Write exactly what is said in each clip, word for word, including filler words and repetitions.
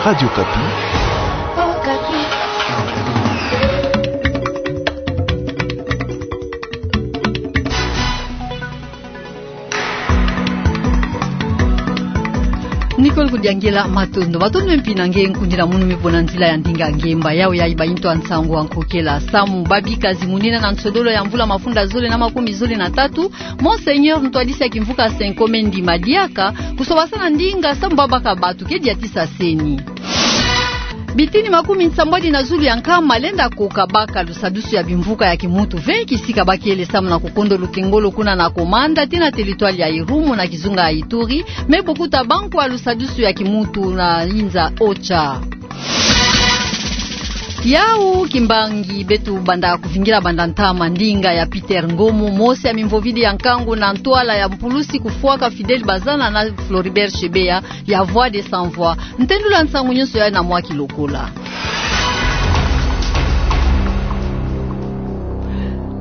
Radio Okapi. Nicole Kudiangela, matondo. Matondo mpe na nge nkundi na munu me pona nzila ya ndinga ngemba. Yawe ya iba into a nsangu a nkokela. Samu babika zimunina na nsodolo ya mvula mafunda zole na makumi zole na tatu, Monseigneur ntwadisi ya kimvuka Cenco Mendi Madiaka, kusobasana ndinga samu babaka batu ke diatisa seni. Bitini makumi nsambwadi na zulu ya nkama lenda koka baka lusadusu ya bimvuka ya kimuntu ve kisika bakele samu na kukondo lukengolo kuna na Komanda tii na teritware ya Irumu na kizunga ya Ituri, me bokuta bankwa lusadusu ya kimuntu na inza Ocha. Yau kimbangi beto banda kuvingila banda ntama ndinga ya Peter Ngomo, mosi ya mimvovidi ya nkangu na ntwala ya mpulusi kufwaka Fidèle Bazana na Floribert Chebeya, ya Voix des Sans Voix. Ntendula nsangu nyonso yayi na mwa kilokola.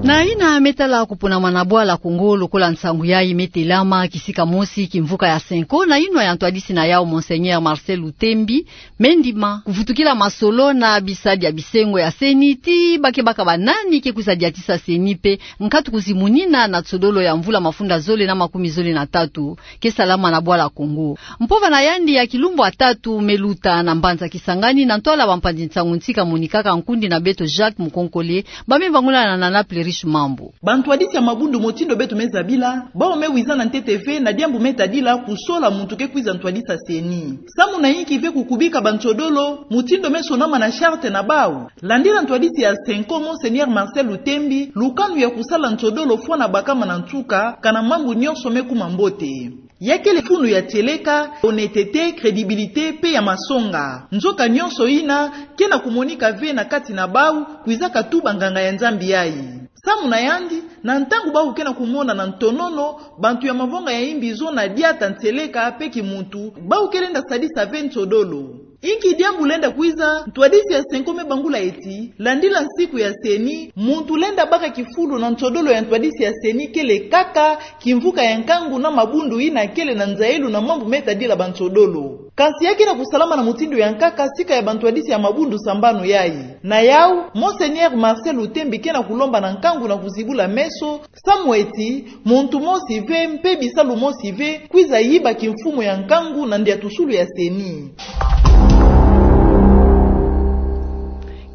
Na yina me tala kuponama na bwala Kongo lokola nsangu yayi me telama, kisika mosi kimvuka ya Cenco na yinwa ya ntwadisi na yau Monseigneur Marcel Lutembi, me ndima kuvutukila masolo na bisadi ya bisengo ya seni tii bakebaka banani ke kwiza diatisa seni mpe nkatu kuzimunina na nsodolo ya mvula mafunda zole na makumi zole na tatu ke salama na bwala Kongo. Mpova na yandi ya kilumbu ya tatu me luta na mbanza Kisangani na ntwala bampanzi nsangu nsi kamonikaka nkundi na beto Jacques Mukonkole, ba me bangula na Nana Plerish Mambu. Bantwadisi ya mabundu motindo beto me zabila, bau me wiza na ntete ve na diambu me tadila kusola muntu ke kwiza ntwadisa seni. Samu na yinki ve kukubika bansodolo, motindo me sonama na charte na bau. Landila ntwadisi ya Cenco Monseigneur Marcel Lutembi, lukanu ya kusala nsodolo fwana bakama na nsuka, kana mambu nyonso me kuma mbote. Ya kele funu ya tieleka, honnêteté, crédibilité, mpe ya masonga. Nzoka nyonso yina, ke na kumonika ve na kati na bau, kwizaka tuba nganga ya Nzambi yayi. Samu na yandi, na ntangu bau ke na kumona na ntonono, bantu ya mavonga ya imbizo na diata ntieleka mpe kimuntu, bau ke lenda sadisa ve nsodolo. Inki diambu lenda kwiza, ntwadisi ya Cenco me bangula eti, landila nsiku ya seni, muntu lenda baka kifulu na nsodolo ya ntwadisi ya seni kele kaka, kimvuka ya nkangu na mabundu yina kele na nzailu na mambu me tadila bansodolo. Kansi ya ke na kusalama na motindo ya nkaka sika ya bantwadisi ya mabundu sambanu yayi. Na yau, Monseigneur Marcel Lutembi ke na kulomba na nkangu na kuzibula meso, samu eti, muntu mosi ve mpe bisalu mosi ve, kwiza yiba kimfumu ya nkangu na ndiatusulu ya seni.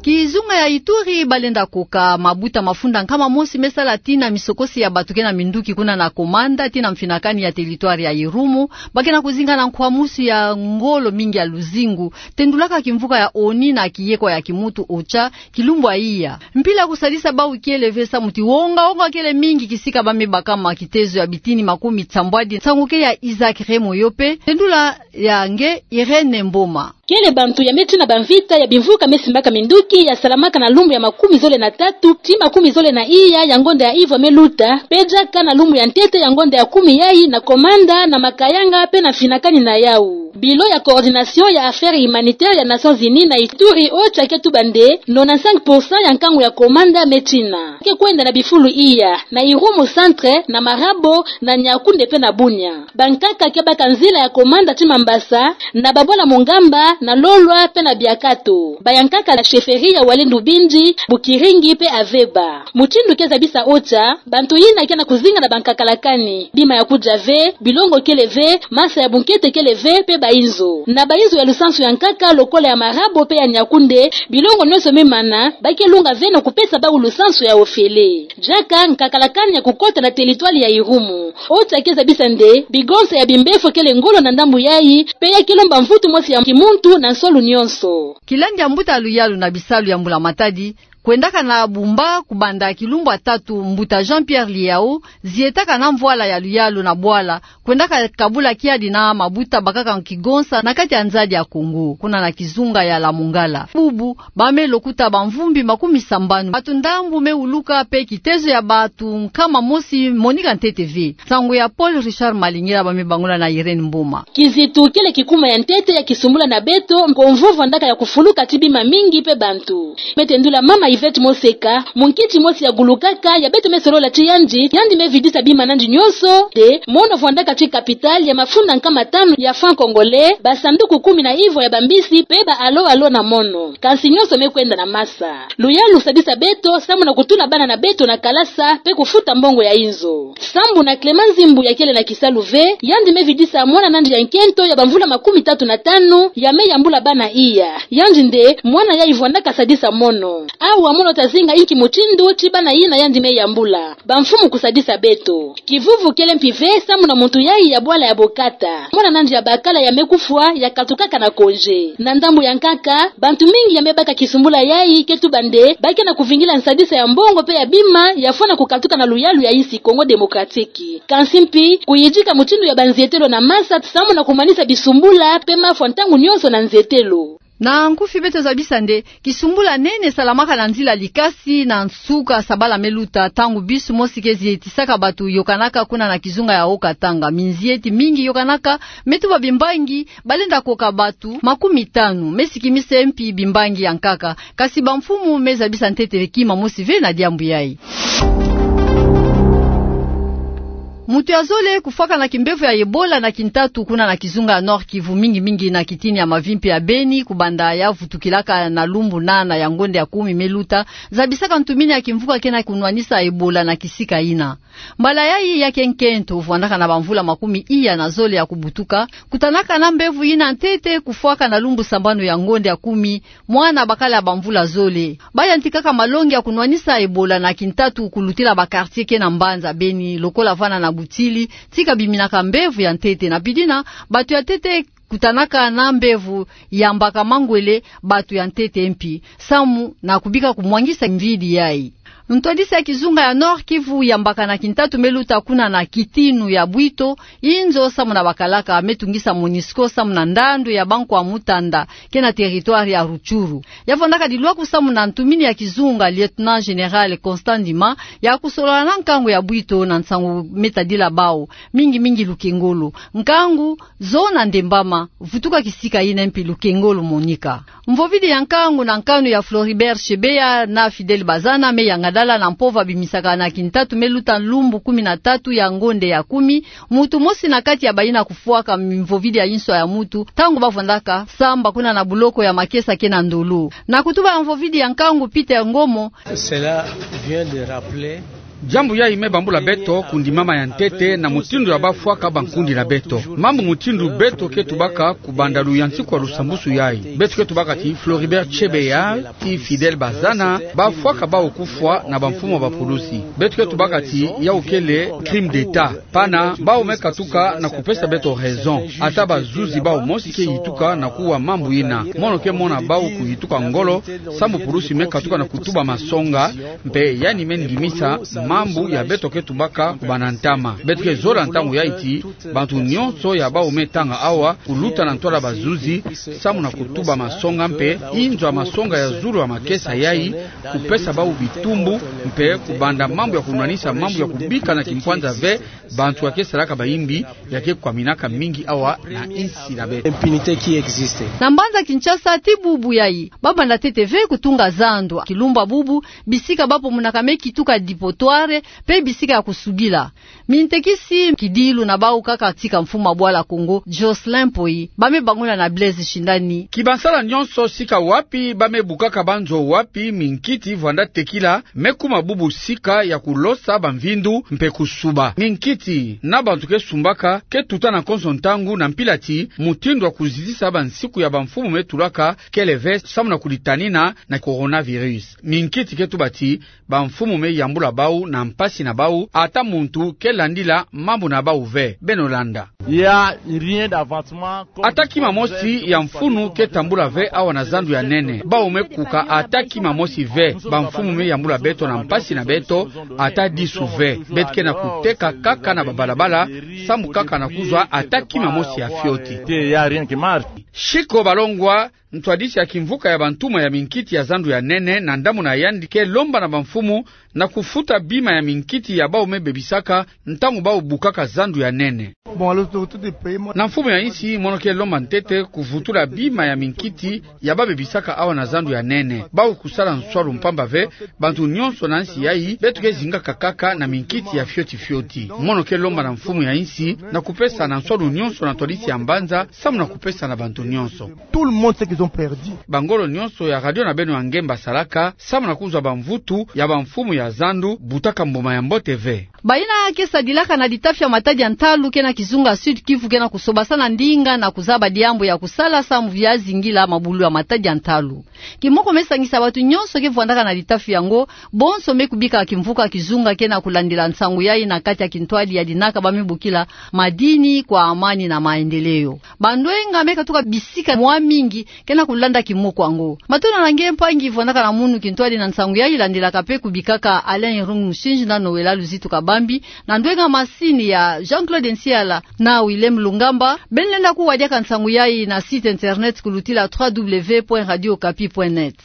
Kizunga ya Ituri balenda koka mabuta mafunda nkama mosi me sala tii na misokosi ya bato ke na minduki kuna na Komanda tii na mfinakani ya teritware ya Irumu, ba ke na kuzinga na nkwamusu ya ngolo mingi ya luzingu, tendulaka kimvuka ya ONU na kiyeko ya kimuntu OCHA, kilumbu ya iya. Mpila kusadisa bau kele ve samu ti wonga-wonga kele mingi kisika ba me bakama kitezo ya bitini makumi nsambwadi nsangu ke ya Isaac Remoyo mpe tendula ya nge Irène Mboma. Kele bantu ya me tina bamvita ya bimvuka me simbaka minduki ya salamaka na lumbu ya makumi zole na tatu tii makumi zole na iya ya ngonda ya ivwa me luta, mpe diaka na lumbu ya ntete ya ngonda ya kumi yayi na Komanda, na Makayanga mpe na mfinakani na yau. Bureau ya coordination ya affaires humanitaires ya Nations Unies na Ituri, OCHA, ke tuba nde nonante-cinq pour cent ya nkangu ya Komanda me tina ke kwenda na bifulu iya, na Irumu centre, na Marabo, na Niakoundé mpe na Bunia. Bankaka ke baka nzila ya Komanda tii Mambasa, na babwala Mongamba, na Lolwa mpe na Biakato. Bayankaka na chefferie ya Walendu Bindi, Bukiringi mpe Aveba. Mutindu ke zabisa OCHA, bantu yina ke na kuzinga na bankakalakani, bima ya kudia ve, bilongo kele ve, masa ya bunkete kele ve, mpe bainzo. Na bainzo ya lusansu ya nkaka lokola ya Marabo mpe ya Niakoundé, bilongo nyonso me mana, ba ke lunga ve na kupesa bau lusansu ya ofele. Diaka nkakalakani ya kukota na teritware ya Irumu. OCHA ke zabisa nde bigonsa ya bimbefo kele ngolo na ndambu yayi, mpe ya ke lomba mvutu mosi ya kimuntu na nsolo nyonso. Kilandi ya mbuta ya luyalu na bisalu ya mbula-matadi, kwendaka na bumba kubanda kilumbu ya tatu, mbuta Jean-Pierre Liyao, zietaka na mvwala ya luyalu na bwala, kwendaka kabula kiadi na mabuta bakaka kigonsa na kati ya nzadi ya Kongo, kuna na kizunga ya Lamongala. Bubu, ba me lokuta bamvumbi makumi sambanu. Bato ndambu me wuluka mpe kitezo ya bato nkama mosi monika ntete ve. Nsangu ya Paul Richard Malingila ba me bangula na Irène Mboma. Kizitu kele kikuma ya ntete ya kisumbula na beto, mpo mvovo ndaka ya kufuluka tii bima mingi mpe bantu. Me tendula mama Yvette Moseka, munkiti mosi ya gulukaka ya beto me solola ti yandi, yandi me vidisa bima na yandi nyonso te, mono vwandaka ti capital ya mafunda nkama tanu ya francs congolais, basanduku kumi na ivwa ya bambisi, pe ba alo-alo na mono. Kansi nyonso me kwenda na masa. Luyalu sadisa beto, samu na kutula bana na beto na kalasa, pe kufuta mbongo ya inzo. Sambu na Clément Nzimbu ya kele na kisalu ve, yandi me vidisa mwana na yandi ya nkento ya bamvula makumi tatu na tanu, ya me yambula bana iya. Yandi nde, mwana yayi vwandaka sadisa mono. Awa mono ta zinga inki mutindu ti bana yina yandi me yambula. Bamfumu kusadisa beto. Kivuvu kele mpi ve samu na muntu yayi ya bwala ya bokata. Mwana na yandi ya bakala ya me kufwa, ya katukaka na congé. Na ndambu ya nkaka, bantu mingi ya me baka kisumbula yayi ke tuba nde, ba ke na kuvingila nsadisa ya mbongo pe ya bima, ya fwana kukatuka na luyalu ya insi Congo Démocratique. Kansi mpi, kuyidika mutindu ya banzietelo na masa, samu na kumanisa bisumbula, pe mafwa ntangu nyonso na nzietelo. Na nkufi beto zabisa nde, kisumbula nene salamaka na nzila likasi na nsuka sabala me luta, ntangu bus mosi ke zietisaka bantu yokanaka kuna na kizunga ya Haut-Katanga. Minzieti mingi yokanaka, me tuba bimbangi, balenda koka bantu makumi tanu, me sikimise mpi bimbangi ya nkaka. Kansi bamfumu me zabisa ntete kima mosi ve na diambu yayi. Muntu ya zole kufwaka na kimbevo ya Ebola na kintatu kuna na kizunga ya Nord-Kivu, mingi mingi na kitini ya mavimpi ya Beni, kubanda ya vutukilaka na lumbu nana ya ngonde ya kumi me luta, zabisaka ntumini ya kimvuka ke na kunwanisa Ebola na kisika yina. Mbala yayi ya ke nkento, vwandaka na bamvula makumi iya na zole ya kubutuka, kutanaka na mbevo yina ntete kufwaka na lumbu sambanu ya ngonde ya kumi, mwana bakala bamvula zole. Ba yantikaka malongi ya kunwanisa Ebola na kintatu kulutila ba quartier ke na mbanza Beni, lokola vana na Butili, tika biminaka mbevo ya ntete. Na bidina, bantu ya ntete kutanaka na mbevo yambaka mangwele, bantu ya ntete mpi, samu na kubika kumwangisa mvidi yayi. Ntwadisi ya kizunga ya Nord-Kivu yambaka na kintatu me luta kuna na kitinu ya Bwito, inzo samu na bakalaka me tungisa MONUSCO samu na ndandu ya bankwa mutanda ke na territoire ya Rutshuru. Ya vwandaka dilwaku samu na ntumini ya kizunga, Lieutenant Général Constant Ndima, ya kusolola na nkangu ya Bwito na nsangu me tadila bawu, mingi mingi lukengolo. Nkangu zona ndembama, vutuka kisika yina mpi lukengolo monika. Mvovidi ya nkangu na nkanu ya Floribert Chebeya na Fidèle Bazana me yangadala na mpova bimisaka na kintatu me luta lumbu kumi na tatu ya ngonde ya kumi, muntu mosi na kati ya bayina kufwaka mvovidi ya inswa ya muntu, ntangu ba vwandaka samba kuna na buloko ya makesa ke na Ndolo. Na kutuba ya mvovidi ya nkangu Peter Ngomo. Cela vient de rappeler Diambu yayi me bambula beto kundimama ya ntete na mutindu ya ba fwaka bankundi na beto. Mambu mutindu beto ke tubaka kubanda luyantiku ya lusambusu yayi. Beto ke tubaka ti Floribert Chebeya, ti Fidèle Bazana, ba fwaka bawu kufwa na bamfumu ya bapulusi. Beto ke tubaka ti yawu kele crime d'État. Pana, bawu me katuka na kupesa beto raison. Ata bazuzi bawu mosi ke yituka na kuwa mambu yina. Mono ke mona bawu kuyituka ngolo, sambu pulusi me katuka na kutuba masonga, mpe yandi me ndimisa mambu ya beto ke tubaka kubanda ntama. Beto ke zola ntangu yayi ti bantu nyonso ya bawu me tanga awa kuluta na ntwala bazuzi, sambu na kutuba masonga mpe inzo ya masonga ya zulu ya makesa yayi, kupesa bawu bitumbu, mpe kubanda mambu ya kunwanisa mambu ya kubika na kimpwanza ve bantu ya ke salaka bayimbi, ya ke kwaminaka mingi awa na insi na beto. Impunité qui existe. Na mbanza Kinshasa, tii bubu yayi, ba banda ntete ve kutunga zandu. Kilumbu bubu, bisika ba pomunaka me kituka dépotoir, mpe bisika ya kusubila. Mintekisi kidilu na bawu kaka tika mfumu ya bwala Kongo, Jocelyn Mpoyi, ba me bangula na Blaise Shindani. Kibansala nyonso sika wapi ba me bukaka banzo, wapi minkiti vwanda tekila, me kuma bubu sika ya kulosa bamvindu mpe kusuba. Minkiti na bantu ke sumbaka ke tuta na konso ntangu na mpila ti mutindu ya kuzitisa bansiku ya bamfumu me tulaka kele ve sambu na kulitanina na coronavirus. Minkiti ke tuba ti bamfumu me yambula bawu na mpasi na bawu, ata muntu ke landila mambu na bawu ve. Beno landa. Il y a rien d'avancement. Ata kima mosi ya mfunu ke tambula ve awa na zandu ya nene. Bawu me kuka ata kima mosi ve. Bamfumu me yambula beto na mpasi na beto, ata disu ve. Beto ke na kuteka kaka na babalabala, sambu kaka na kuzwa ata kima mosi ya fioti. Il y a rien qui marche. Shiko balongwa, Ntwadisi ya kimvuka ya bantumwa ya minkiti ya zandu ya nene na ndamuna yandi ke lomba na bamfumu na kufuta bima ya minkiti ya bau me bebisaka ntangu bau bukaka zandu ya nene. Na mfumu ya insi, mono ke lomba ntete kuvutula bima ya minkiti ya bau bebisaka awa na zandu ya nene. Bau kusala nswalu mpamba ve bantu nyonso na nsi yayi beto ke zingaka kaka na minkiti ya fioti fioti. Mono ke lomba na mfumu ya insi na kupesa na nswalu nyonso na ntwadisi ya mbanza samu na kupesa na bantu nyonso. Tout le monde sait qu'ils ont perdu. Bangolo nyonso ya radio na beno ya nge basalaka samu na kuzwa bamvutu ya bamfumu ya zandu butaka mbuma ya mbote ve. Bayina ke sadilaka na litafi ya matadi ya ntalu ke na kizunga Sud-Kivu ke na kusobasana ndinga na kuzaba diambu ya kusala samu ya zingila mabulu ya matadi ya ntalu. Kimoko me sangisa bantu nyonso ke vwandaka na litafi yango, bonso me kubika kimvuka kizunga ke na kulandila nsangu yayi na kati ya kintwadi ya dinaka ba me bokila Madini kwa Amani na Maendeleo. Bandwenga me katuka bisika mwa mingi ke na kulanda kimoko yango. Matondo na nge mpangi vwandaka na munu kintwadi na nsangu yayi landilaka pe kubikaka Alain Irung Musinji na Noëlla Luzitu Kabambi, na ndwenga masini ya Jean-Claude Nsiala na Willem Lungamba. Beno lenda kuwa diaka nsangu yayi na site internet kulutila trois W point radio okapi point net.